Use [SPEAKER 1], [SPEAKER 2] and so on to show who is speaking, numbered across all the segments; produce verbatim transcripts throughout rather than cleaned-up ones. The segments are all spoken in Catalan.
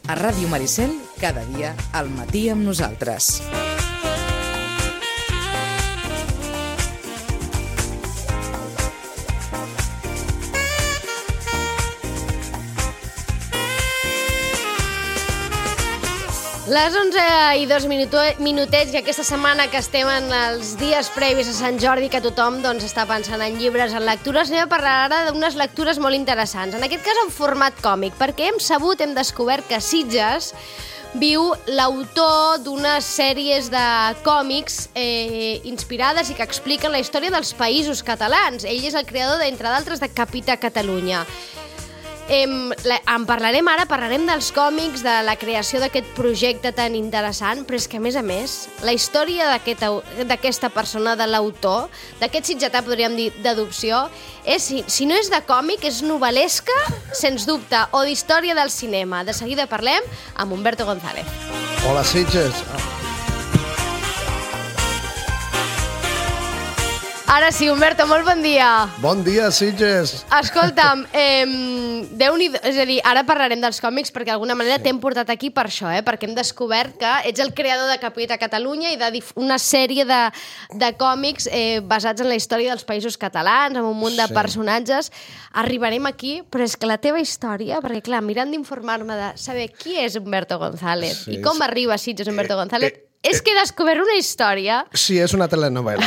[SPEAKER 1] A Ràdio Maricel, cada dia al matí amb nosaltres.
[SPEAKER 2] Les onze i dos minutets i aquesta setmana que estem en els dies previs a Sant Jordi, que tothom doncs, està pensant en llibres, en lectures, anem a parlar ara d'unes lectures molt interessants. En aquest cas en format còmic, perquè hem sabut, hem descobert que Sitges viu l'autor d'unes sèries de còmics eh, inspirades i que expliquen la història dels països catalans. Ell és el creador, d'entre d'altres, de Capita Catalunya. Em, la, en parlarem ara, parlarem dels còmics, de la creació d'aquest projecte tan interessant, però és que, a més a més, la història d'aquesta aquest, persona, de l'autor, d'aquest sitgetà, podríem dir, d'adopció, és, si, si no és de còmic, és novel·lesca, sens dubte, o d'història del cinema. De seguida parlem amb Humberto González.
[SPEAKER 3] Hola, Sitges.
[SPEAKER 2] Ara sí, Humberto, molt bon dia.
[SPEAKER 3] Bon dia, Sitges.
[SPEAKER 2] Escolta'm, eh, Déu-n'hi-do, és a dir, ara parlarem dels còmics perquè d'alguna manera sí. T'hem portat aquí per això, eh, perquè hem descobert que ets el creador de Capita Catalunya i de una sèrie de, de còmics eh, basats en la història dels països catalans, amb un munt de sí. personatges. Arribarem aquí, però és que la teva història, perquè clar, mirant d'informar-me de saber qui és Humberto González sí, i com sí. arriba a Sitges Humberto González, eh, eh, és que he descobert una història.
[SPEAKER 3] Sí, és una telenovela.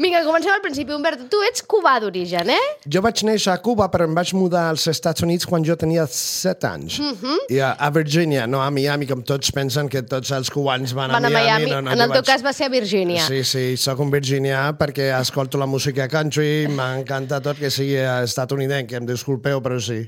[SPEAKER 2] Vinga, comencem al principi. Humberto, tu ets cubà d'origen, eh?
[SPEAKER 3] Jo vaig néixer a Cuba, però em vaig mudar als Estats Units quan jo tenia set anys. Uh-huh. I a, a Virgínia, no a Miami, com tots pensen que tots els cubans van,
[SPEAKER 2] van a Miami. A Miami.
[SPEAKER 3] No, no,
[SPEAKER 2] en el teu
[SPEAKER 3] vaig... cas
[SPEAKER 2] va ser a Virgínia.
[SPEAKER 3] Sí, sí, soc un virginià perquè escolto la música country, m'encanta tot que sigui estatunidenc, em disculpeu, però sí.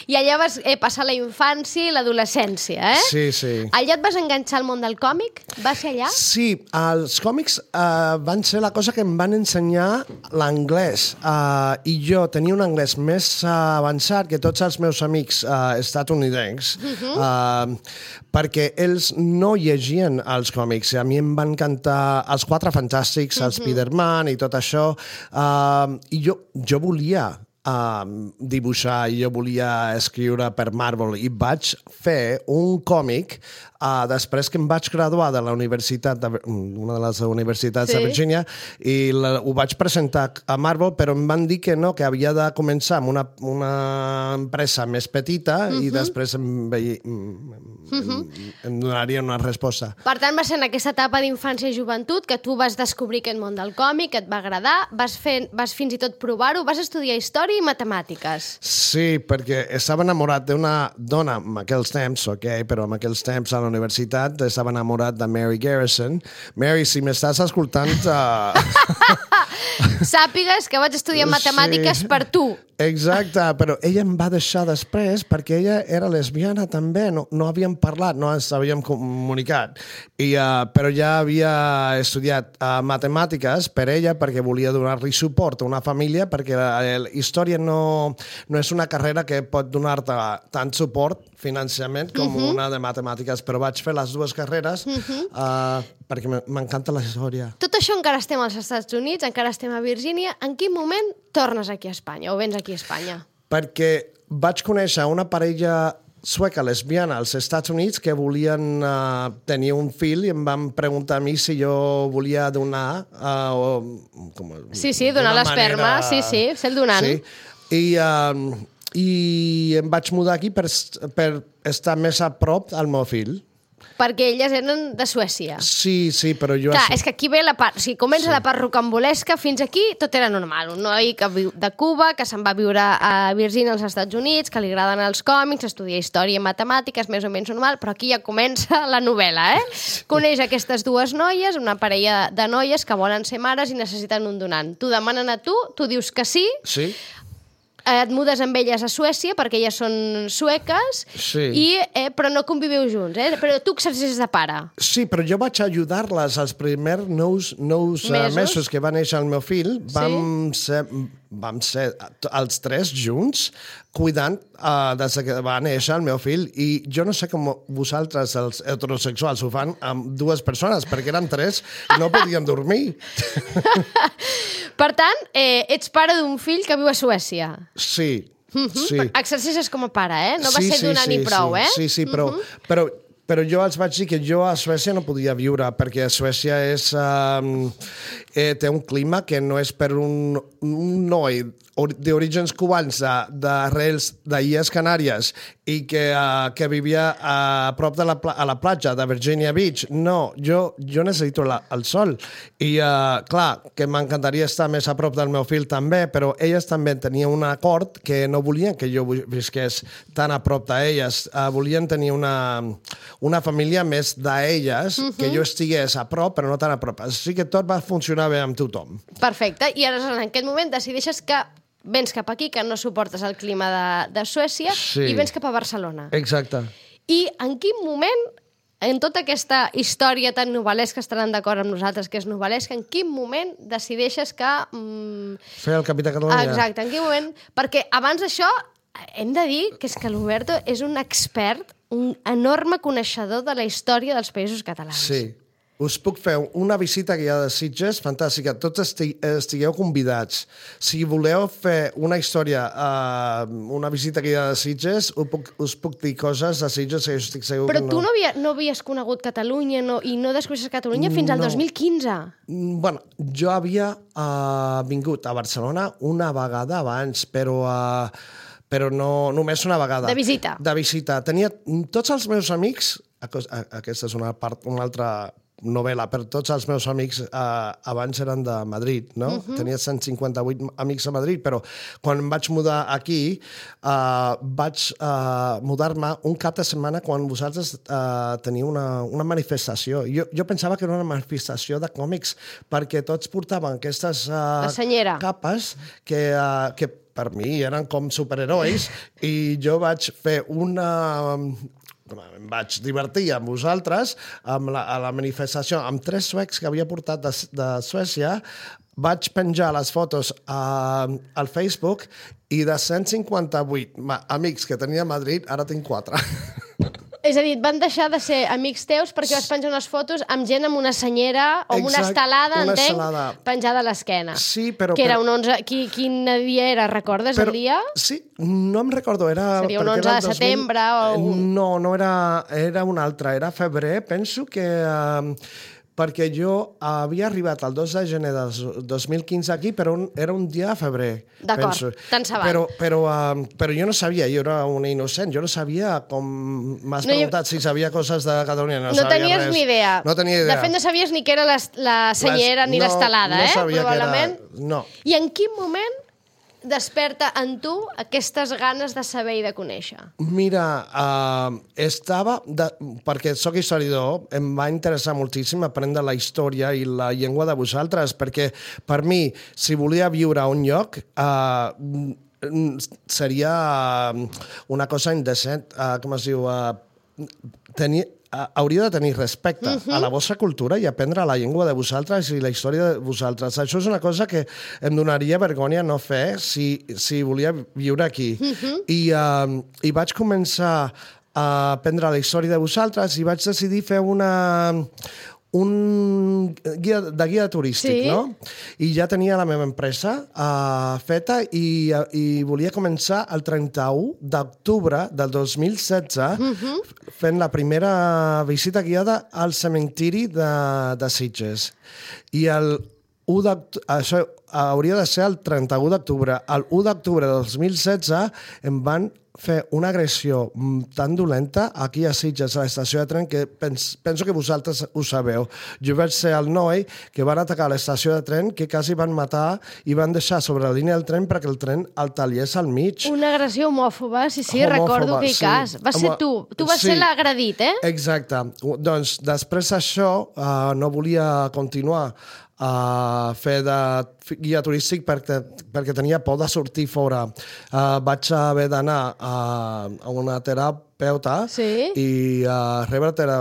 [SPEAKER 2] I allà vas eh, passar la infància i l'adolescència, eh?
[SPEAKER 3] Sí, sí.
[SPEAKER 2] Allà et vas enganxar al món del còmic? Va ser allà?
[SPEAKER 3] Sí, els còmics uh, van ser la cosa que em van ensenyar l'anglès. Uh, I jo tenia un anglès més uh, avançat que tots els meus amics uh, estatunidencs, uh-huh. uh, perquè ells no llegien els còmics. A mi em van encantar els Quatre Fantàstics, uh-huh. el Spider-Man i tot això. Uh, I jo, jo volia Uh, dibuixar i jo volia escriure per Marvel i vaig fer un còmic uh, després que em vaig graduar de la universitat, de, una de les universitats sí. de Virgínia, i la, ho vaig presentar a Marvel, però em van dir que no, que havia de començar amb una, una empresa més petita uh-huh. i després em, veia, uh-huh. em, em donaria una resposta.
[SPEAKER 2] Per tant, va ser en aquesta etapa d'infància i joventut que tu vas descobrir aquest món del còmic, que et va agradar, vas, fer, vas fins i tot provar-ho, vas estudiar història i matemàtiques.
[SPEAKER 3] Sí, perquè estava enamorat d'una dona en aquells temps, ok, però en aquells temps a la universitat estava enamorat de Mary Garrison. Mary, si m'estàs escoltant... Uh...
[SPEAKER 2] Sàpigues que vaig estudiar matemàtiques sí. per tu.
[SPEAKER 3] Exacte, però ella em va deixar després perquè ella era lesbiana també, no, no havíem parlat, no ens havíem comunicat, I, uh, però ja havia estudiat uh, matemàtiques per ella perquè volia donar-li suport a una família, perquè la, la història no, no és una carrera que pot donar-te tant suport financiament com uh-huh. una de matemàtiques, però vaig fer les dues carreres uh-huh. uh, perquè m'encanta la història.
[SPEAKER 2] Tot això encara estem als Estats Units, encara estem a Virgínia. En quin moment tornes aquí a Espanya o vens aquí a Espanya?
[SPEAKER 3] Perquè vaig conèixer una parella sueca lesbiana als Estats Units que volien uh, tenir un fill i em van preguntar a mi si jo volia donar... Uh, o, com,
[SPEAKER 2] sí, sí, donar l'esperma, manera... sí, sí, ser el donant. Sí.
[SPEAKER 3] I, uh, I em vaig mudar aquí per, per estar més a prop al meu fill.
[SPEAKER 2] Perquè elles eren de Suècia.
[SPEAKER 3] Sí, sí, però jo...
[SPEAKER 2] Clar, és que aquí ve la part... O sigui, comença sí. la part rocambolesca, fins aquí tot era normal. Un noi que viu de Cuba, que se'n va viure a Virgínia, als Estats Units, que li agraden els còmics, estudia història i matemàtiques, més o menys normal, però aquí ja comença la novel·la, eh? Sí. Coneix aquestes dues noies, una parella de noies que volen ser mares i necessiten un donant. T'ho demanen a tu, tu dius que sí...
[SPEAKER 3] Sí.
[SPEAKER 2] Et mudes amb elles a Suècia perquè elles són sueques
[SPEAKER 3] sí.
[SPEAKER 2] i, eh, però no conviveu junts, eh? Però tu exerceixes de pare.
[SPEAKER 3] Sí, però jo vaig ajudar-les els primers nous, nous mesos? Uh, mesos que va néixer el meu fill. Vam sí. ser, vam ser els tres junts cuidant uh, des que va néixer el meu fill, i jo no sé com vosaltres, els heterosexuals, ho fan amb dues persones, perquè eren tres i no podien dormir.
[SPEAKER 2] Per tant, eh, ets pare d'un fill que viu a Suècia.
[SPEAKER 3] Sí.
[SPEAKER 2] Mm-hmm.
[SPEAKER 3] Sí.
[SPEAKER 2] Exercicis com a pare, eh? No va
[SPEAKER 3] sí,
[SPEAKER 2] ser
[SPEAKER 3] sí,
[SPEAKER 2] donar
[SPEAKER 3] sí,
[SPEAKER 2] ni prou,
[SPEAKER 3] sí,
[SPEAKER 2] eh?
[SPEAKER 3] Sí, sí, però, mm-hmm. però, però jo els vaig dir que jo a Suècia no podia viure, perquè a Suècia és, um, eh, té un clima que no és per un, un noi d'orígens cubans, d'arrels d'Illes Canàries, i que, uh, que vivia a prop de la, a la platja de Virginia Beach. No, jo, jo necessito la, el sol. I, uh, clar, que m'encantaria estar més a prop del meu fill també, però elles també tenien un acord que no volien que jo visqués tan a prop d'elles. Uh, volien tenir una, una família més d'elles, uh-huh. que jo estigués a prop, però no tan a prop. Així que tot va funcionar bé amb tothom.
[SPEAKER 2] Perfecte. I aleshores, en aquest moment, decideixes que vens cap aquí, que no suportes el clima de, de Suècia, sí. i vens cap a Barcelona.
[SPEAKER 3] Exacte.
[SPEAKER 2] I en quin moment, en tota aquesta història tan novel·lesca, estaran d'acord amb nosaltres que és novel·lesca, en quin moment decideixes que... Mm,
[SPEAKER 3] fer el Capità Catalunya.
[SPEAKER 2] Exacte, en quin moment... Perquè abans d'això, hem de dir que és que l'Huberto és un expert, un enorme coneixedor de la història dels països catalans.
[SPEAKER 3] Sí. Us puc fer una visita guiada de Sitges fantàstica. Tots esti estigueu convidats. Si voleu fer una història, uh, una visita guiada de Sitges, us puc, us puc dir coses de Sitges que jo estic segur
[SPEAKER 2] Però
[SPEAKER 3] que no.
[SPEAKER 2] tu no, havia, no havies conegut Catalunya no, i no descobreixes Catalunya fins al
[SPEAKER 3] No.
[SPEAKER 2] dos mil quinze.
[SPEAKER 3] Bueno, jo havia uh, vingut a Barcelona una vegada abans, però... Uh, però no, només una vegada.
[SPEAKER 2] De visita.
[SPEAKER 3] De visita. Tenia tots els meus amics... Aquesta és una part, una altra novel·la, però tots els meus amics eh, abans eren de Madrid, no? Uh-huh. Tenia cent cinquanta-vuit amics a Madrid, però quan em vaig mudar aquí, eh, vaig eh, mudar-me un cap de setmana quan vosaltres eh, teniu una, una manifestació. Jo, jo pensava que era una manifestació de còmics, perquè tots portaven aquestes eh, capes que, eh, que per mi eren com superherois, i jo vaig fer una... em vaig divertir amb vosaltres amb la, a la manifestació amb tres suecs que havia portat de, de Suècia. Vaig penjar les fotos a, al Facebook i de cent cinquanta-vuit amics que tenia a Madrid, ara tinc quatre.
[SPEAKER 2] És a dir, van deixar de ser amics teus perquè vas penjar unes fotos amb gent amb una senyera o amb una estelada,
[SPEAKER 3] una
[SPEAKER 2] entenc,
[SPEAKER 3] estelada.
[SPEAKER 2] penjada a l'esquena.
[SPEAKER 3] Sí, però...
[SPEAKER 2] Que era
[SPEAKER 3] però...
[SPEAKER 2] un onze... Qui, quin dia era? Recordes
[SPEAKER 3] però,
[SPEAKER 2] el dia?
[SPEAKER 3] Sí, no em recordo. Era,
[SPEAKER 2] seria un onze de setembre o...
[SPEAKER 3] No, no era... Era un altre. Era febrer, penso que... Uh, perquè jo havia arribat el dos de gener del dos mil quinze aquí, però un, era un dia de febrer.
[SPEAKER 2] D'acord, tant se val.
[SPEAKER 3] Però, però, uh, però jo no sabia, jo era una innocent, jo no sabia com... M'has no, preguntat jo... si sabia coses de Catalunya, no,
[SPEAKER 2] no
[SPEAKER 3] sabia
[SPEAKER 2] tenies
[SPEAKER 3] res.
[SPEAKER 2] ni idea.
[SPEAKER 3] No tenia idea.
[SPEAKER 2] De fet, no sabies ni què era la, la senyera Les... ni no, l'estelada,
[SPEAKER 3] no
[SPEAKER 2] eh?
[SPEAKER 3] Sabia
[SPEAKER 2] probablement.
[SPEAKER 3] Que era... No.
[SPEAKER 2] I en quin moment desperta en tu aquestes ganes de saber i de conèixer?
[SPEAKER 3] Mira, uh, estava... De, perquè sóc historiador, em va interessar moltíssim aprendre la història i la llengua de vosaltres, perquè per mi, si volia viure a un lloc, uh, seria una cosa indecent, uh, com es diu... Uh, tenir... hauria de tenir respecte uh-huh. a la vostra cultura i aprendre la llengua de vosaltres i la història de vosaltres. Això és una cosa que em donaria vergonya no fer si, si volia viure aquí. Uh-huh. I, uh, I vaig començar a aprendre la història de vosaltres i vaig decidir fer una... un guia de guia turístic, sí. no? I ja tenia la meva empresa uh, feta i, uh, i volia començar el trenta-u d'octubre del dos mil setze uh-huh. fent la primera visita guiada al cementiri de, de Sitges. I el u d'octubre, això hauria de ser el trenta-u d'octubre. El u d'octubre del dos mil setze em van fer una agressió tan dolenta aquí a Sitges, a l'estació de tren, que pens, penso que vosaltres ho sabeu. Jo vaig ser el noi que van atacar l'estació de tren, que quasi van matar i van deixar sobre la línia del tren perquè el tren el tallés al mig.
[SPEAKER 2] Una agressió homòfoba, sí, sí, homòfoba, recordo aquell sí. cas. Va ser tu, tu vas sí. ser l'agredit, eh?
[SPEAKER 3] Exacte. Doncs després d'això uh, no volia continuar a fer de guia turístic perquè, perquè tenia por de sortir fora. Uh, vaig haver d'anar a, a una terapeuta sí? i uh, rebre tera,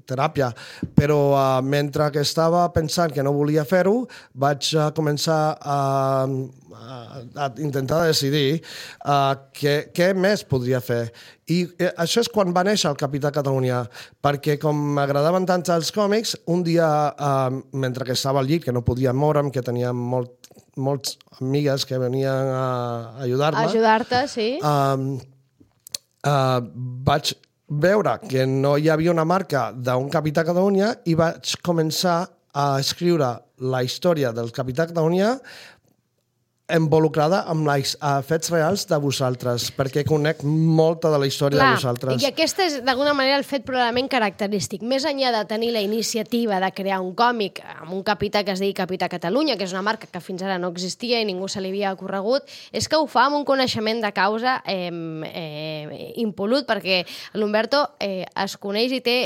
[SPEAKER 3] teràpia. Però uh, mentre que estava pensant que no volia fer-ho, vaig uh, començar a, a, a intentar decidir uh, què, què més podria fer. I eh, això és quan va néixer el Capità Catalunya, perquè com m'agradaven tant els còmics, un dia, eh, mentre que estava al llit, que no podia moure'm, que tenia molt molts amigues que venien a ajudar-me.
[SPEAKER 2] A ajudar-te, sí.
[SPEAKER 3] Um, uh, vaig veure que no hi havia una marca d'un Capità Catalunya i vaig començar a escriure la història del Capità Catalunya involucrada amb els fets reals de vosaltres, perquè conec molta de la història
[SPEAKER 2] Clar,
[SPEAKER 3] de vosaltres.
[SPEAKER 2] I aquest és, d'alguna manera, el fet probablement característic. Més enllà de tenir la iniciativa de crear un còmic amb un capità que es digui Capità Catalunya, que és una marca que fins ara no existia i ningú se li havia ocorregut, és que ho fa amb un coneixement de causa eh, eh, impolut, perquè l'Humberto eh, es coneix i té...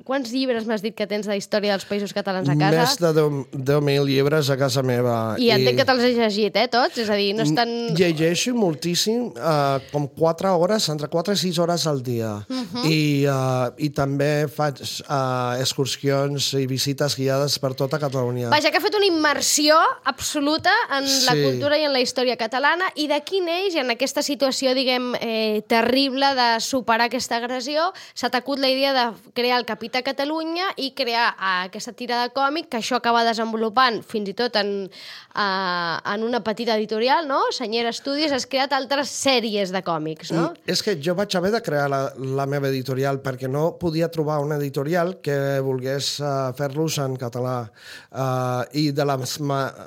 [SPEAKER 2] Quants llibres m'has dit que tens de història dels països catalans a casa?
[SPEAKER 3] Més de deu mil llibres a casa meva.
[SPEAKER 2] I entenc que te'ls has llegit, eh, tots? És a dir, no és tan...
[SPEAKER 3] Llegeixo moltíssim, uh, com quatre hores, entre quatre i sis hores al dia. Uh -huh. I, uh, I també faig uh, excursions i visites guiades per tota Catalunya.
[SPEAKER 2] Vaja, que ha fet una immersió absoluta en sí. la cultura i en la història catalana, i d'aquí neix, en aquesta situació, diguem, eh, terrible de superar aquesta agressió, s'ha t'acut la idea de crear el Capità Catalunya i crear uh, aquesta tira de còmic, que això acaba desenvolupant fins i tot en, uh, en una petita editorial, no? Senyera Studios, has creat altres sèries de còmics, no?
[SPEAKER 3] Mm, és que jo vaig haver de crear la, la meva editorial perquè no podia trobar una editorial que volgués uh, fer-los en català. Uh, I de les,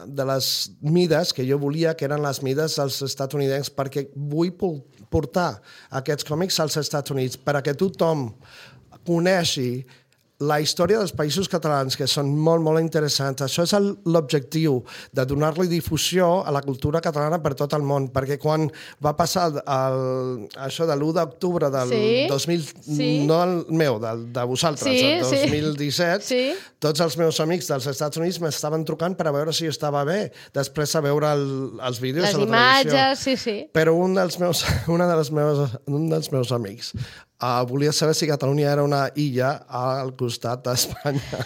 [SPEAKER 3] de les mides que jo volia, que eren les mides dels estatunidencs, perquè vull portar aquests còmics als Estats Units, perquè tothom coneixi la història dels països catalans, que són molt, molt interessants. Això és l'objectiu, de donar-li difusió a la cultura catalana per tot el món, perquè quan va passar el, això de l'u d'octubre del sí, dos mil... Sí. No el meu, del, de vosaltres, sí, el dos mil disset, sí. Tots els meus amics dels Estats Units m'estaven trucant per a veure si jo estava bé, després de veure el, els vídeos
[SPEAKER 2] Les
[SPEAKER 3] a la
[SPEAKER 2] imatges,
[SPEAKER 3] televisió.
[SPEAKER 2] Sí, sí.
[SPEAKER 3] Però un dels meus, una de les meves, un dels meus amics Uh, volia saber si Catalunya era una illa al costat d'Espanya.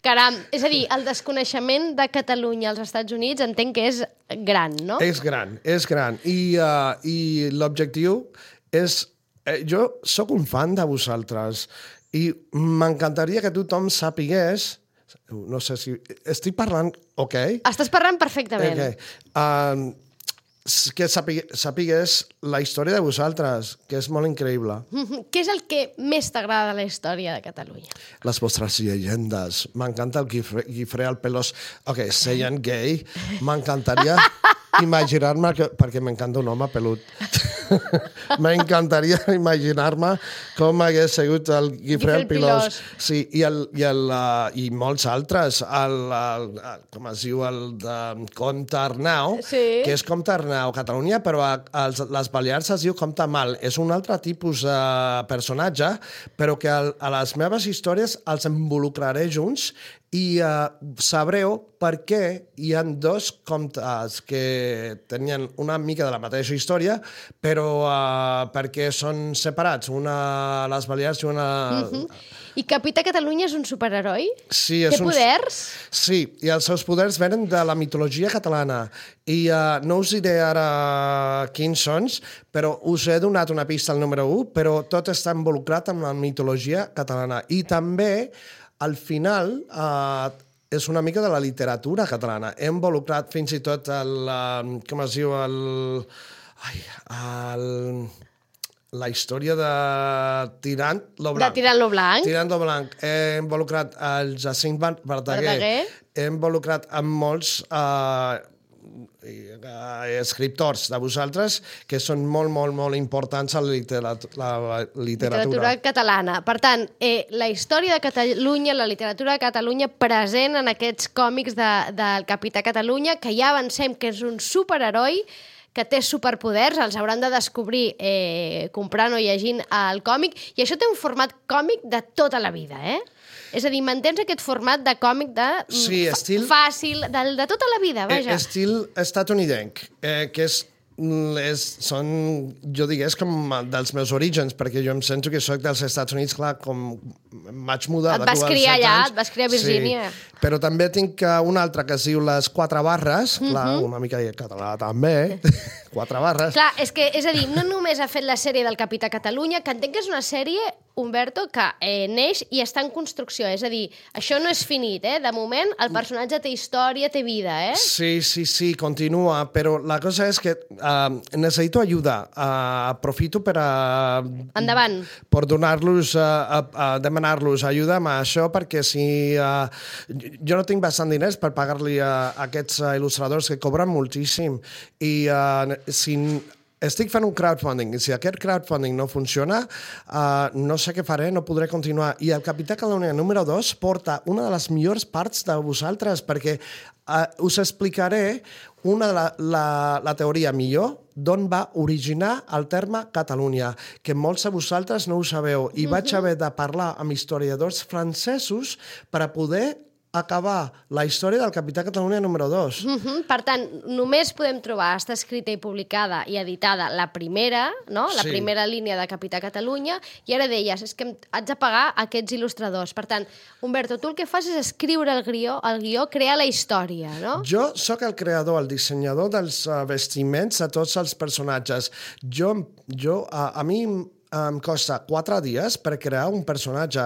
[SPEAKER 2] Caram, és a dir, el desconeixement de Catalunya als Estats Units entenc que és gran, no?
[SPEAKER 3] És gran, és gran. I, uh, i l'objectiu és... Eh, jo sóc un fan de vosaltres i m'encantaria que tothom sapigués... No sé si... Estic parlant... Ok?
[SPEAKER 2] Estàs parlant perfectament.
[SPEAKER 3] Ok. Uh, que sapigués la història de vosaltres, que és molt increïble.
[SPEAKER 2] Mm-hmm. Què és el que més t'agrada de la història de Catalunya?
[SPEAKER 3] Les vostres llegendes. M'encanta el Guifré, Guifré el Pelós. Ok, seient gay, m'encantaria imaginar-me, que, perquè m'encanta un home pelut. M'encantaria imaginar-me com hagués sigut el Guifré el Pelós. Sí, i, el, i, el, uh, i molts altres. El, el, el, com es diu, el de Comte Arnau, sí. Que és Comte Arnau Catalunya, però a, a les Balears es diu Comte Mal. És un altre tipus de personatge, però que a, a les meves històries els involucraré junts i uh, sabreu per què hi ha dos comtes que tenien una mica de la mateixa història, però uh, perquè són separats, una a les Balears i una... Uh-huh.
[SPEAKER 2] I Capità Catalunya és un superheroi?
[SPEAKER 3] Sí, és
[SPEAKER 2] Té
[SPEAKER 3] un...
[SPEAKER 2] poders?
[SPEAKER 3] Sí, i els seus poders venen de la mitologia catalana. I uh, no us diré ara quins són, però us he donat una pista al número un, però tot està involucrat amb la mitologia catalana. I també, al final, uh, és una mica de la literatura catalana. He involucrat fins i tot el... Uh, com es diu? El... Ai, el... la història de Tirant lo Blanc.
[SPEAKER 2] De Tirant lo Blanc.
[SPEAKER 3] Tirant lo Blanc. He involucrat el Jacint Verdaguer. Verdaguer. He involucrat amb molts uh, escriptors de vosaltres que són molt, molt, molt importants a la, literat la literatura.
[SPEAKER 2] Literatura catalana. Per tant, eh, la història de Catalunya, la literatura de Catalunya present en aquests còmics de, del Capità Catalunya, que ja avancem que és un superheroi que té superpoders, els hauran de descobrir eh, comprant o llegint el còmic, i això té un format còmic de tota la vida, eh? És a dir, mantens aquest format de còmic de
[SPEAKER 3] sí, estil,
[SPEAKER 2] fàcil, de, de tota la vida, vaja.
[SPEAKER 3] Estil estatunidenc, eh, que és És, són, jo digués, com dels meus orígens, perquè jo em sento que soc dels Estats Units, clar, com vaig mudar
[SPEAKER 2] et vas criar allà, anys, et vas criar a Virgínia.
[SPEAKER 3] Sí, Però també tinc una altra que es diu Les Quatre Barres, mm -hmm. clar, una mica de català també, Quatre Barres.
[SPEAKER 2] Clar, és que, és a dir, no només ha fet la sèrie del Capità Catalunya, que entenc que és una sèrie, Humberto, que eh, neix i està en construcció, és a dir, això no és finit, eh? De moment, el personatge té història, té vida, eh?
[SPEAKER 3] Sí, sí, sí, continua, però la cosa és que uh, necessito ajuda. Uh, aprofito per a...
[SPEAKER 2] Endavant.
[SPEAKER 3] Per donar-los, uh, uh, uh, demanar-los ajuda amb això, perquè si... Uh, jo no tinc bastant diners per pagar-li a, a aquests uh, il·lustradors que cobren moltíssim, i uh, si... Estic fent un crowdfunding, i si aquest crowdfunding no funciona, uh, no sé què faré, no podré continuar. I el Capità Catalunya número dos porta una de les millors parts de vosaltres, perquè uh, us explicaré una de la, la, la teoria millor d'on va originar el terme Catalunya, que molts de vosaltres no ho sabeu, i vaig haver de parlar amb historiadors francesos per a poder acabar la història del Capità Catalunya número dos.
[SPEAKER 2] Uh -huh. Per tant, només podem trobar, està escrita i publicada i editada la primera, no? La
[SPEAKER 3] sí.
[SPEAKER 2] primera línia de Capità Catalunya, i ara deies, és que haig de pagar aquests il·lustradors. Per tant, Humberto, tu el que fas és escriure el guió, el guió crear la història, no?
[SPEAKER 3] Jo sóc el creador, el dissenyador dels uh, vestiments de tots els personatges. Jo, jo uh, a mi em costa quatre dies per crear un personatge.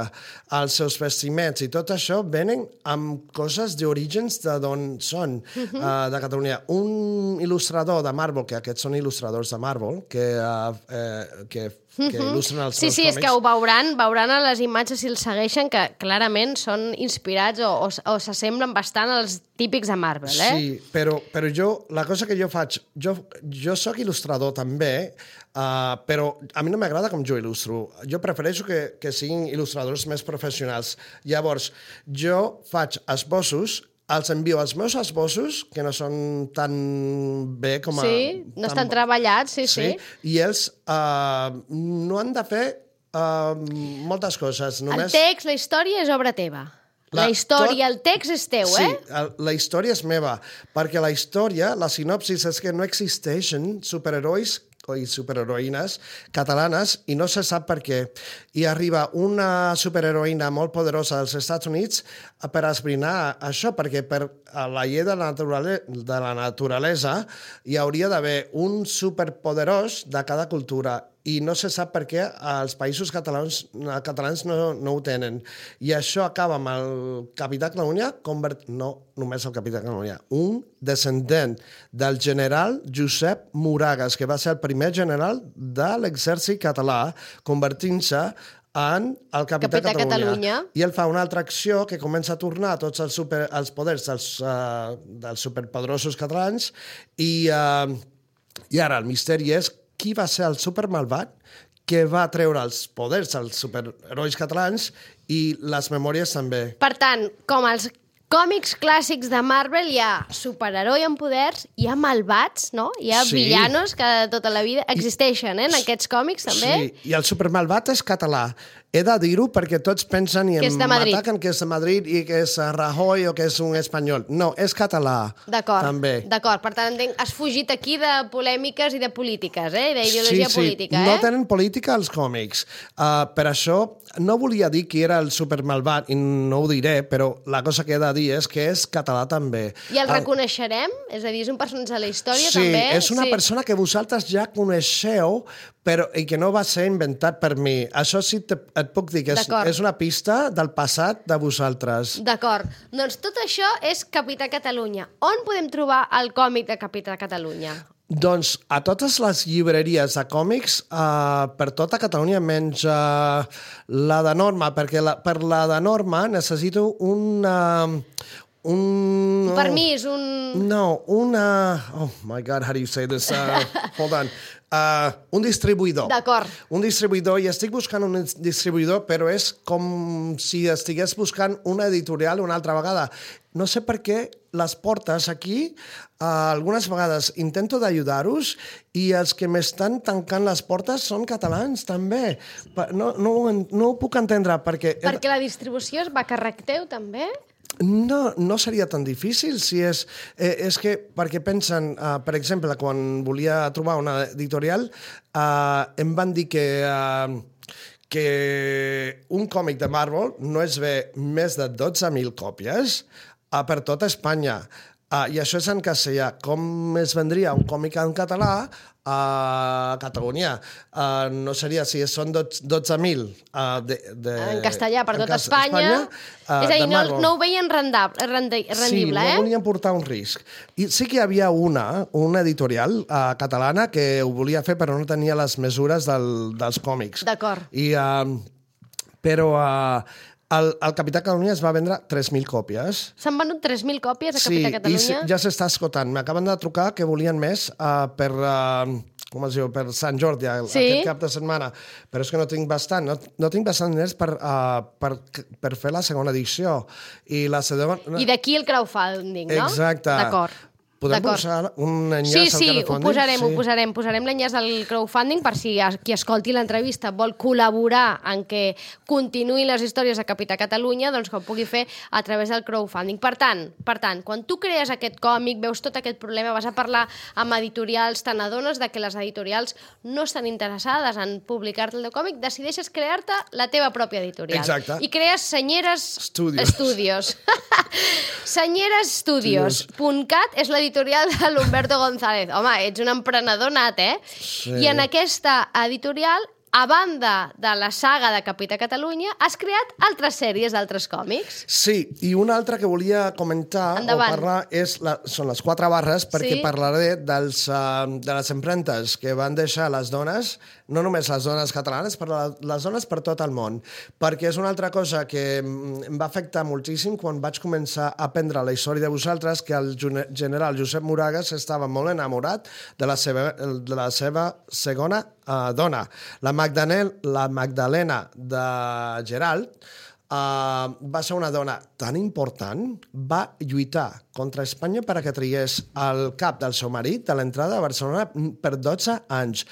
[SPEAKER 3] Els seus vestiments i tot això venen amb coses d'orígens de d'on són, uh -huh. uh, de Catalunya. Un il·lustrador de Marvel, que aquests són il·lustradors de Marvel, que, uh, eh, que, que il·lustren els
[SPEAKER 2] sí,
[SPEAKER 3] seus
[SPEAKER 2] sí,
[SPEAKER 3] còmics.
[SPEAKER 2] és que ho veuran, veuran a les imatges si els segueixen, que clarament són inspirats o, o, o s'assemblen bastant als típics de Marvel, eh?
[SPEAKER 3] Sí, però, però jo, la cosa que jo faig, jo, jo sóc il·lustrador també, Uh, però a mi no m'agrada com jo il·lustro. Jo prefereixo que, que siguin il·lustradors més professionals. Llavors, jo faig esbossos, els envio els meus esbossos, que no són tan bé com a...
[SPEAKER 2] Sí, no estan tan... treballats, sí, sí. sí.
[SPEAKER 3] I ells uh, no han de fer uh, moltes coses. Només...
[SPEAKER 2] El text, la història és obra teva. La, la història, tot... el text és teu,
[SPEAKER 3] sí,
[SPEAKER 2] eh?
[SPEAKER 3] Sí, la història és meva, perquè la història, la sinopsis és que no existeixen superherois i superheroïnes catalanes i no se sap per què. I arriba una superheroïna molt poderosa dels Estats Units per esbrinar això, perquè per la llei de la, naturale de la naturalesa hi hauria d'haver un superpoderós de cada cultura i no se sap per què els països catalans, catalans no, no ho tenen. I això acaba amb el Capità Catalunya, convert... no només el Capità Catalunya, un descendent del general Josep Moragas, que va ser el primer general de l'exèrcit català, convertint-se en el Capità,
[SPEAKER 2] Capità
[SPEAKER 3] Catalunya.
[SPEAKER 2] Catalunya.
[SPEAKER 3] I ell fa una altra acció que comença a tornar tots els, super, els poders dels, uh, dels superpoderosos catalans i, uh, i ara el misteri és qui va ser el supermalvat que va treure els poders als superherois catalans i les memòries també.
[SPEAKER 2] Per tant, com els còmics clàssics de Marvel, hi ha superheroi amb poders, hi ha malvats, no? Hi ha
[SPEAKER 3] sí.
[SPEAKER 2] villanos que de tota la vida existeixen, eh, en aquests còmics també.
[SPEAKER 3] Sí, i el supermalvat és català. He de dir-ho perquè tots pensen i em ataquen que és de Madrid i que és Rajoy o que és un espanyol. No, és català.
[SPEAKER 2] D'acord,
[SPEAKER 3] també.
[SPEAKER 2] d'acord. Per tant, has fugit aquí de polèmiques i de polítiques, eh? D'ideologia
[SPEAKER 3] sí, sí.
[SPEAKER 2] política, eh?
[SPEAKER 3] No tenen política als còmics. Uh, per això no volia dir que era el supermalvat i no ho diré, però la cosa que he de dir és que és català també.
[SPEAKER 2] I el reconeixerem? És a dir, és un personatge de la història
[SPEAKER 3] sí,
[SPEAKER 2] també?
[SPEAKER 3] Sí, és una
[SPEAKER 2] sí.
[SPEAKER 3] persona que vosaltres ja coneixeu, però i que no va ser inventat per mi. Això sí te, et puc dir que és, és una pista del passat de vosaltres.
[SPEAKER 2] D'acord. Doncs tot això és Capità Catalunya. On podem trobar el còmic de Capità Catalunya?
[SPEAKER 3] Doncs a totes les llibreries de còmics uh, per tota Catalunya, menys uh, la de Norma, perquè la, per la de Norma necessito un... Uh, un...
[SPEAKER 2] Un permís, un...
[SPEAKER 3] No, una... Oh my God, how do you say this? Uh, hold on. Uh, un distribuïdor.
[SPEAKER 2] D'acord.
[SPEAKER 3] Un distribuïdor, i estic buscant un distribuïdor, però és com si estigués buscant una editorial una altra vegada. No sé per què les portes aquí, uh, algunes vegades intento d'ajudar-vos i els que m'estan tancant les portes són catalans, també. No, no, no ho puc entendre, perquè...
[SPEAKER 2] Perquè la distribució es va a càrrec teu, també?
[SPEAKER 3] No, no seria tan difícil si és... Eh, és que, perquè pensen, uh, per exemple, quan volia trobar una editorial, uh, em van dir que, uh, que un còmic de Marvel no es ve més de dotze mil còpies uh, per tota Espanya. Uh, I això és en castellà. Com es vendria un còmic en català a Catalunya? Uh, no seria, si són dotze mil uh, de, de,
[SPEAKER 2] en castellà per tot Espanya.
[SPEAKER 3] Espanya uh,
[SPEAKER 2] és a dir, no, no ho veien rendable, rendi, rendible,
[SPEAKER 3] sí,
[SPEAKER 2] eh?
[SPEAKER 3] no volien portar un risc. I sí que hi havia una, una editorial uh, catalana que ho volia fer però no tenia les mesures del, dels còmics.
[SPEAKER 2] D'acord.
[SPEAKER 3] I, uh, però... Uh, El, el Capità Catalunya es va vendre tres mil còpies.
[SPEAKER 2] S'han venut tres mil còpies a Capità Catalunya?
[SPEAKER 3] Sí, i ja s'està esgotant. M'acaben de trucar que volien més uh, per, uh, com es diu, per Sant Jordi, sí? Aquest cap de setmana. Però és que no tinc bastant. No, no tinc bastant diners per, uh, per, per fer la segona edició. I, la segona...
[SPEAKER 2] I d'aquí el crowdfunding, no?
[SPEAKER 3] Exacte.
[SPEAKER 2] D'acord.
[SPEAKER 3] Podem posar un enllaç
[SPEAKER 2] sí,
[SPEAKER 3] al
[SPEAKER 2] sí,
[SPEAKER 3] crowdfunding?
[SPEAKER 2] ho posarem,
[SPEAKER 3] sí,
[SPEAKER 2] ho posarem. Posarem l'enllaç al crowdfunding per si qui escolti l'entrevista vol col·laborar en què continuïn les històries de Capità Catalunya, doncs que ho pugui fer a través del crowdfunding. Per tant, per tant, quan tu crees aquest còmic, veus tot aquest problema, vas a parlar amb editorials, te n'adones de que les editorials no estan interessades en publicar-te el teu còmic, decideixes crear-te la teva pròpia editorial.
[SPEAKER 3] Exacte.
[SPEAKER 2] I crees Senyeres
[SPEAKER 3] Studios.
[SPEAKER 2] Studios. senyeres studios punt cat és l'editorial de l'Humberto González. Home, ets un emprenedor nat, eh?
[SPEAKER 3] Sí.
[SPEAKER 2] I en aquesta editorial, a banda de la saga de Capità Catalunya, has creat altres sèries d'altres còmics.
[SPEAKER 3] Sí, i una altra que volia comentar
[SPEAKER 2] Endavant.
[SPEAKER 3] o parlar és la, són les quatre barres, perquè
[SPEAKER 2] Sí.
[SPEAKER 3] parlaré dels, uh, de les empremtes que van deixar les dones, no només les dones catalanes, però les dones per tot el món, perquè és una altra cosa que em va afectar moltíssim quan vaig començar a aprendre la història de vosaltres, que el general Josep Moragas estava molt enamorat de la seva, de la seva segona uh, dona. La Magdalena, la Magdalena de Gerald uh, va ser una dona tan important, va lluitar contra Espanya per a que trigués el cap del seu marit de l'entrada a Barcelona per dotze anys.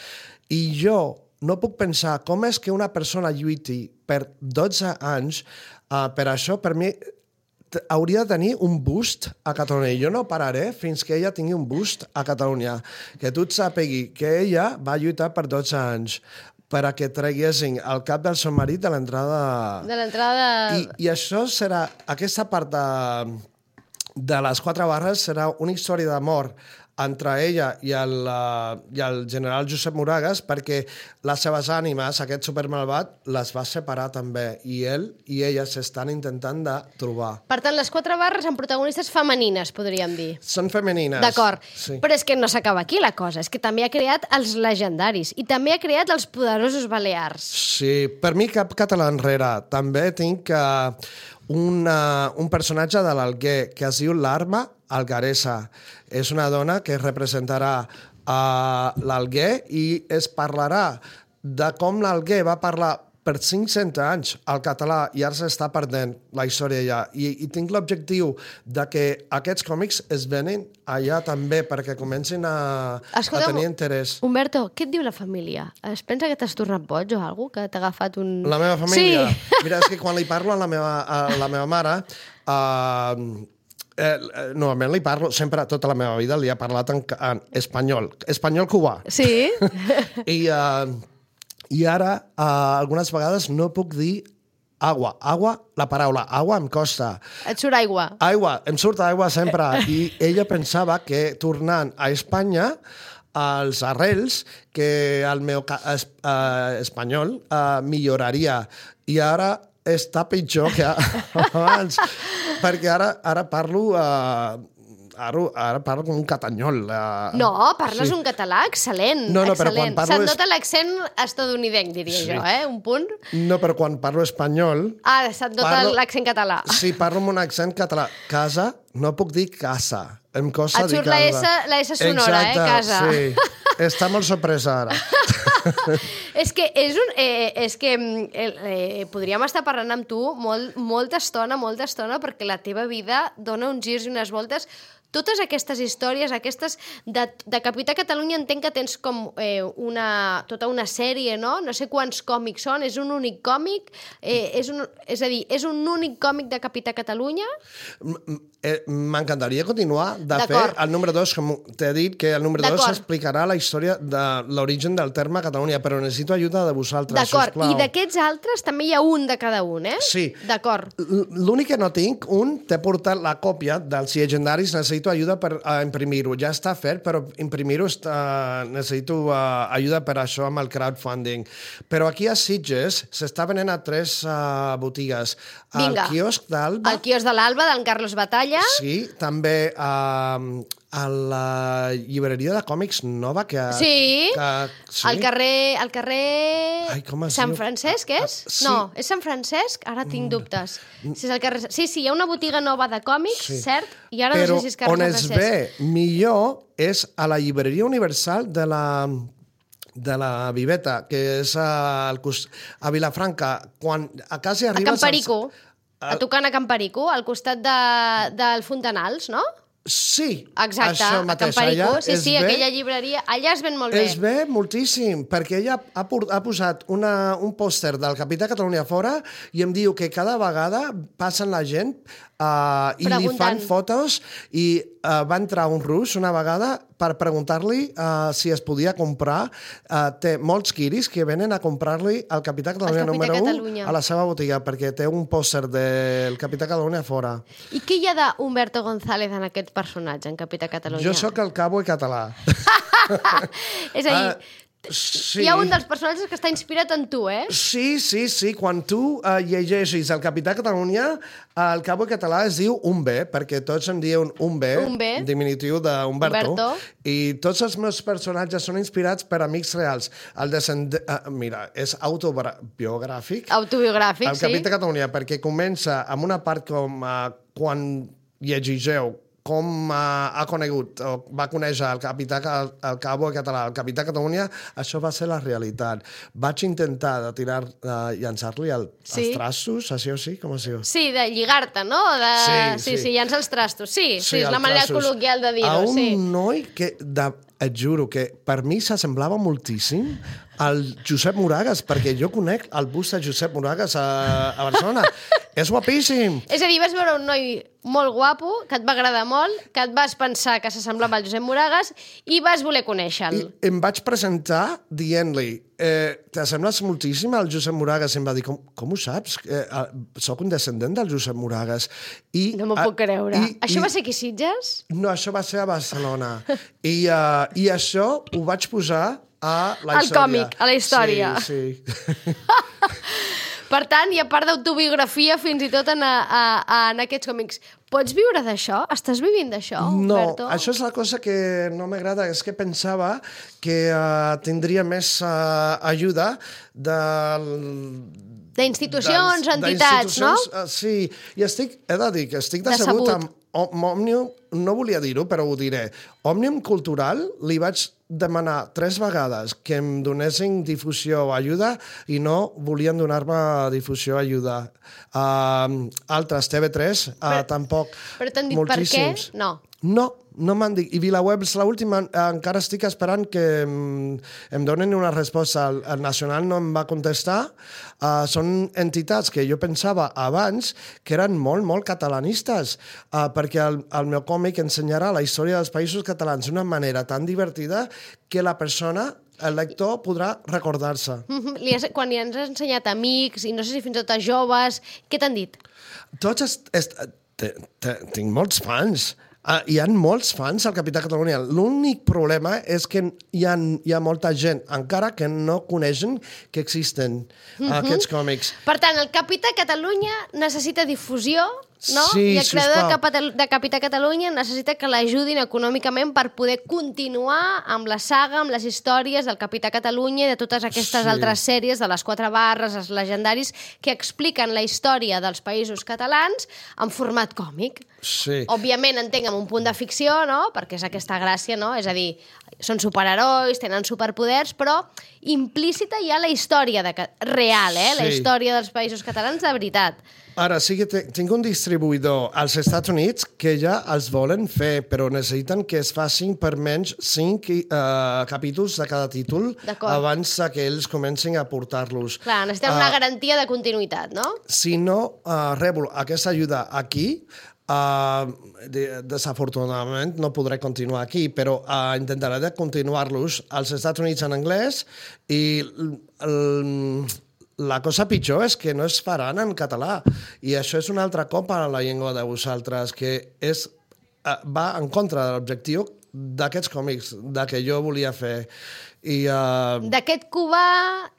[SPEAKER 3] I jo no puc pensar com és que una persona lluiti per dotze anys, uh, per això, per mi, hauria de tenir un bust a Catalunya. Jo no pararé fins que ella tingui un bust a Catalunya. Que tu et sàpigui que ella va lluitar per dotze anys per a que traguessin el cap del seu marit de l'entrada...
[SPEAKER 2] De l'entrada...
[SPEAKER 3] I, I això serà... Aquesta part de, de les quatre barres serà una història d'amor entre ella i el, uh, i el general Josep Moragas, perquè les seves ànimes, aquest supermalvat, les va separar també, i ell i ella s'estan intentant de trobar.
[SPEAKER 2] Per tant, les quatre barres amb protagonistes femenines, podríem dir.
[SPEAKER 3] Són femenines.
[SPEAKER 2] D'acord,
[SPEAKER 3] sí.
[SPEAKER 2] Però és que no s'acaba aquí la cosa, és que també ha creat els legendaris i també ha creat els poderosos balears.
[SPEAKER 3] Sí, per mi cap català enrere. També tinc uh, una, un personatge de l'Alguer que es diu l'Arma Algaresa. És una dona que representarà uh, l'Alguer i es parlarà de com l'Alguer va parlar per cinc-cents anys al català i ara s'està perdent la història allà. I, i tinc l'objectiu de que aquests còmics es venen allà també perquè comencin a,
[SPEAKER 2] Escolta,
[SPEAKER 3] a tenir interès.
[SPEAKER 2] Humberto, què et diu la família? Es pensa que t'has tornat boig o alguna cosa? Que t'ha agafat un...
[SPEAKER 3] La meva família?
[SPEAKER 2] Sí.
[SPEAKER 3] Mira, és que quan li parlo a la meva, a la meva mare... Uh, Eh, normalment li parlo, sempre tota la meva vida li he parlat en, en espanyol, espanyol cubà.
[SPEAKER 2] Sí?
[SPEAKER 3] I, uh, i ara, uh, algunes vegades no puc dir agua. Agua, la paraula agua em costa.
[SPEAKER 2] Et surt aigua.
[SPEAKER 3] Aigua, em surt aigua sempre. I ella pensava que tornant a Espanya als arrels que el meu es, uh, espanyol uh, milloraria. I ara està pitjor que abans, perquè ara, ara parlo... Uh, ara, ara parlo com un catanyol. Uh,
[SPEAKER 2] no, parles
[SPEAKER 3] sí.
[SPEAKER 2] un català excel·lent.
[SPEAKER 3] No, no, però
[SPEAKER 2] excel·lent.
[SPEAKER 3] quan parlo...
[SPEAKER 2] Se't
[SPEAKER 3] Es...
[SPEAKER 2] nota l'accent estadounidenc, diria
[SPEAKER 3] Sí.
[SPEAKER 2] jo, eh? Un punt.
[SPEAKER 3] No, però quan parlo espanyol...
[SPEAKER 2] Ah, se't nota
[SPEAKER 3] parlo...
[SPEAKER 2] l'accent català.
[SPEAKER 3] Sí, parlo amb un accent català. Casa, no puc dir casa. Em costa
[SPEAKER 2] Et
[SPEAKER 3] dir
[SPEAKER 2] surt la
[SPEAKER 3] casa.
[SPEAKER 2] S, la S sonora,
[SPEAKER 3] Exacte,
[SPEAKER 2] eh? Casa.
[SPEAKER 3] Sí. Està molt sorpresa ara.
[SPEAKER 2] És que és un... Eh, és que eh, eh, podríem estar parlant amb tu molt, molta estona, molta estona, perquè la teva vida dona uns girs i unes voltes. Totes aquestes històries, aquestes de, de Capità Catalunya, entenc que tens com eh, una, tota una sèrie, no? No sé quants còmics són, és un únic còmic? Eh, és, un, és a dir, és un únic còmic de Capità Catalunya?
[SPEAKER 3] Eh, que m'encantaria continuar. De fer,
[SPEAKER 2] D'acord.
[SPEAKER 3] el número dos, com t'he dit, que el número dos
[SPEAKER 2] D'acord.
[SPEAKER 3] explicarà la història de l'origen del terme Catalunya, però necessito ajuda de vosaltres,
[SPEAKER 2] D'acord,
[SPEAKER 3] sisplau.
[SPEAKER 2] i d'aquests altres també hi ha un de cada un, eh?
[SPEAKER 3] Sí.
[SPEAKER 2] D'acord.
[SPEAKER 3] L- L'únic que no tinc, un, t'he portat la còpia dels llegendaris, necessito ajuda per uh, imprimir-ho. Ja està fet, però imprimir-ho està... necessito uh, ajuda per això amb el crowdfunding. Però aquí a Sitges s'està venent a tres uh, botigues.
[SPEAKER 2] Vinga.
[SPEAKER 3] Al quiosc d'Alba.
[SPEAKER 2] El quiosc de l'Alba, d'en Carlos Batalla.
[SPEAKER 3] Sí, també uh, a la llibreria de còmics nova que...
[SPEAKER 2] Sí,
[SPEAKER 3] que, sí.
[SPEAKER 2] Al carrer... Al carrer...
[SPEAKER 3] Ai, com es
[SPEAKER 2] Sant
[SPEAKER 3] diu?
[SPEAKER 2] Francesc, és?
[SPEAKER 3] Ah, sí.
[SPEAKER 2] No, és Sant Francesc? Ara tinc dubtes. Si és el carrer... Sí, sí, hi ha una botiga nova de còmics,
[SPEAKER 3] Sí.
[SPEAKER 2] cert? I ara
[SPEAKER 3] Però
[SPEAKER 2] no sé si és carrer
[SPEAKER 3] on
[SPEAKER 2] Sant
[SPEAKER 3] es
[SPEAKER 2] Francesc.
[SPEAKER 3] ve millor és a la llibreria universal de la de la Viveta, que és a, a Vilafranca. Quan a casa
[SPEAKER 2] A
[SPEAKER 3] arribes...
[SPEAKER 2] Camparico.
[SPEAKER 3] al-
[SPEAKER 2] A tocant a Camparico, al costat de, del Fontanals, no?
[SPEAKER 3] Sí,
[SPEAKER 2] Exacte,
[SPEAKER 3] això
[SPEAKER 2] a
[SPEAKER 3] mateix.
[SPEAKER 2] Camparico.
[SPEAKER 3] Allà
[SPEAKER 2] Sí,
[SPEAKER 3] es
[SPEAKER 2] sí,
[SPEAKER 3] ve-
[SPEAKER 2] aquella llibreria. Allà es ven molt bé.
[SPEAKER 3] Es ve moltíssim, perquè ella ha, por- ha posat una, un pòster del Capità Catalunya fora i em diu que cada vegada passen la gent uh, i li
[SPEAKER 2] Preguntant.
[SPEAKER 3] fan fotos i uh, va entrar un rus una vegada per preguntar-li uh, si es podia comprar. Uh, té molts quiris que venen a comprar-li el Capità Catalunya
[SPEAKER 2] Capità
[SPEAKER 3] número
[SPEAKER 2] Catalunya.
[SPEAKER 3] un a la seva botiga perquè té un pòster del Capità Catalunya fora.
[SPEAKER 2] I què hi ha d'Humberto González en aquest personatge, en Capità Catalunya?
[SPEAKER 3] Jo sóc el cabo català.
[SPEAKER 2] És a dir,
[SPEAKER 3] Uh, sí.
[SPEAKER 2] hi ha un dels personatges que està inspirat en tu, eh?
[SPEAKER 3] Sí, sí, sí. Quan tu uh, llegeixis el Capità Catalunya, el cabo català es diu un B, perquè tots em diuen un B,
[SPEAKER 2] Un B.
[SPEAKER 3] diminutiu d'Humberto,
[SPEAKER 2] Humberto.
[SPEAKER 3] i tots els meus personatges són inspirats per amics reals. El descend... Uh, mira, és autobiogràfic.
[SPEAKER 2] Autobiogràfic,
[SPEAKER 3] El
[SPEAKER 2] sí.
[SPEAKER 3] Capità Catalunya, perquè comença amb una part com uh, quan llegigeu com uh, ha conegut o va conèixer el capità, el cabo català, el Capità Catalunya, això va ser la realitat. Vaig intentar de tirar, uh, llançar-li el,
[SPEAKER 2] Sí.
[SPEAKER 3] els trastos, així o sí, com es diu?
[SPEAKER 2] Sí, de lligar-te, no? De...
[SPEAKER 3] Sí,
[SPEAKER 2] sí,
[SPEAKER 3] sí.
[SPEAKER 2] sí, llança els trastos. Sí, sí, és
[SPEAKER 3] els
[SPEAKER 2] la manera
[SPEAKER 3] trastos.
[SPEAKER 2] col·loquial de
[SPEAKER 3] A
[SPEAKER 2] dir-ho,
[SPEAKER 3] un
[SPEAKER 2] sí.
[SPEAKER 3] noi que, de, et juro, que per mi s'assemblava moltíssim al Josep Moragas, perquè jo conec el bus de Josep Moragas a, a Barcelona. És guapíssim.
[SPEAKER 2] És a dir, vas veure un noi molt guapo, que et va agradar molt, que et vas pensar que s'assemblava al Josep Moragas i vas voler conèixer-lo.
[SPEAKER 3] I em vaig presentar dient-li eh, t'assembles moltíssim al Josep Moragas. I em va dir, com, com ho saps? Eh, eh, soc un descendent del Josep Moragas. I,
[SPEAKER 2] No m'ho
[SPEAKER 3] ah,
[SPEAKER 2] puc creure.
[SPEAKER 3] I,
[SPEAKER 2] Això
[SPEAKER 3] i,
[SPEAKER 2] va ser aquí, Sitges?
[SPEAKER 3] No, això va ser a Barcelona. I, uh, I això ho vaig posar a la
[SPEAKER 2] Al
[SPEAKER 3] història.
[SPEAKER 2] còmic, a la història.
[SPEAKER 3] Sí, sí.
[SPEAKER 2] Per tant, hi ha part d'autobiografia fins i tot en, a, a, a, en aquests còmics. Pots viure d'això? Estàs vivint d'això,
[SPEAKER 3] No,
[SPEAKER 2] Humberto?
[SPEAKER 3] això és la cosa que no m'agrada, és que pensava que uh, tindria més uh, ajuda del...
[SPEAKER 2] D'institucions,
[SPEAKER 3] dels-
[SPEAKER 2] entitats, no?
[SPEAKER 3] d'institucions, uh, sí, i estic, he de dir que estic
[SPEAKER 2] Decebut.
[SPEAKER 3] decebut amb Om- Òmnium, no volia dir-ho, però ho diré. Òmnium Cultural li vaig demanar tres vegades que em donessin difusió o ajuda i no volien donar-me difusió o ajuda. Uh, altres, T V tres, uh,
[SPEAKER 2] Però-
[SPEAKER 3] tampoc.
[SPEAKER 2] Però t'han dit per què?
[SPEAKER 3] Moltíssims.
[SPEAKER 2] No.
[SPEAKER 3] No, no m'han dit. I VilaWeb és l'última, encara estic esperant que em, em donen una resposta. El, el Nacional no em va contestar. Uh, són entitats que jo pensava abans que eren molt, molt catalanistes, uh, perquè el, el meu còmic ensenyarà la història dels països catalans d'una manera tan divertida que la persona, el lector, podrà recordar-se.
[SPEAKER 2] Mhm. Li has, quan li has ensenyat a amics i no sé si fins i tot a joves, què t'han dit?
[SPEAKER 3] Tots est, est, te, te, tinc molts fans. Uh, hi ha molts fans al Capità Catalunya. L'únic problema és que hi ha, hi ha molta gent encara que no coneixen que existen uh, aquests còmics.
[SPEAKER 2] Per tant, el Capità Catalunya necessita difusió, no?
[SPEAKER 3] Sí,
[SPEAKER 2] I el creador de,
[SPEAKER 3] sisplau.
[SPEAKER 2] Capital, de Capità Catalunya necessita que l'ajudin econòmicament per poder continuar amb la saga, amb les històries del Capità Catalunya i de totes aquestes
[SPEAKER 3] Sí.
[SPEAKER 2] altres sèries, de les quatre barres, els legendaris, que expliquen la història dels països catalans en format còmic.
[SPEAKER 3] Sí.
[SPEAKER 2] Òbviament, entenc, amb un punt de ficció, no? Perquè és aquesta gràcia, no? És a dir, són superherois, tenen superpoders, però implícita hi ha la història de, ca- real, eh? La
[SPEAKER 3] Sí.
[SPEAKER 2] història dels països catalans de veritat.
[SPEAKER 3] Ara sí que te- tinc un distribuïdor als Estats Units que ja els volen fer, però necessiten que es facin per menys cinc uh, capítols de cada títol
[SPEAKER 2] D'acord.
[SPEAKER 3] abans que ells comencin a portar-los.
[SPEAKER 2] Clar, necessitem una
[SPEAKER 3] Ah,
[SPEAKER 2] garantia de continuïtat, no?
[SPEAKER 3] Si no uh, rebo aquesta ajuda aquí, Uh, de, desafortunadament no podré continuar aquí, però uh, intentaré de continuar-los als Estats Units en anglès i el, la cosa pitjor és que no es faran en català i això és un altre cop a la llengua de vosaltres, que és, uh, va en contra de l'objectiu d'aquests còmics, de que jo volia fer. I, uh...
[SPEAKER 2] D'aquest cubà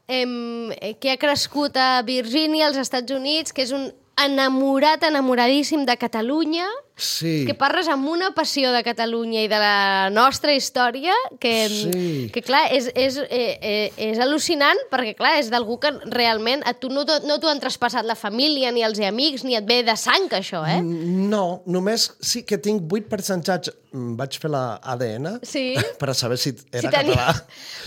[SPEAKER 2] eh, que ha crescut a Virgínia, als Estats Units, que és un enamorat, enamoradíssim de Catalunya,
[SPEAKER 3] sí.
[SPEAKER 2] que parles amb una passió de Catalunya i de la nostra història, que,
[SPEAKER 3] sí.
[SPEAKER 2] que clar, és, és, eh, és al·lucinant, perquè clar, és d'algú que realment a tu no, no t'ho han traspassat la família, ni els amics, ni et ve de sang, això, eh?
[SPEAKER 3] No, només sí que tinc vuit percentatges. Vaig fer la A D N
[SPEAKER 2] sí.
[SPEAKER 3] per saber si era
[SPEAKER 2] si tenia...
[SPEAKER 3] català.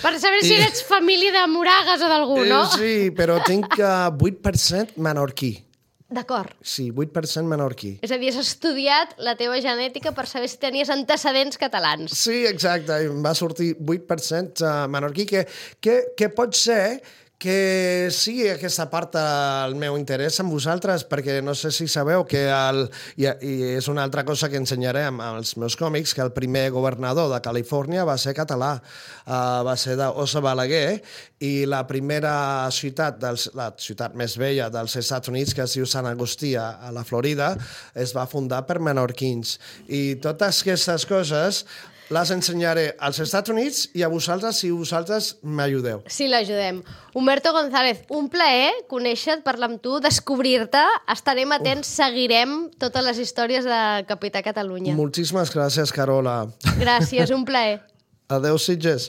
[SPEAKER 2] Per saber si I... ets família de Moragas o d'algú, no?
[SPEAKER 3] Sí, però tinc uh, vuit per cent menorquí.
[SPEAKER 2] D'acord.
[SPEAKER 3] Sí, vuit per cent menorquí.
[SPEAKER 2] És a dir, has estudiat la teva genètica per saber si tenies antecedents catalans.
[SPEAKER 3] Sí, exacte. I em va sortir vuit per cent menorquí, que, que, que pot ser que sigui aquesta part del meu interès amb vosaltres, perquè no sé si sabeu que, el, i, i és una altra cosa que ensenyaré amb els meus còmics, que el primer governador de Califòrnia va ser català, uh, va ser d'Osa Balaguer, i la primera ciutat, dels, la ciutat més vella dels Estats Units, que es diu Sant Agustí, a la Florida, es va fundar per menorquins. I totes aquestes coses les ensenyaré als Estats Units i a vosaltres si vosaltres m'ajudeu.
[SPEAKER 2] Sí, l'ajudem. Humberto González, un plaer conèixer-te, parlar amb tu, descobrir-te. Estarem atents, uh. seguirem totes les històries de Capità Catalunya.
[SPEAKER 3] Moltíssimes gràcies, Carola.
[SPEAKER 2] Gràcies, un plaer.
[SPEAKER 3] Adéu, Sitges.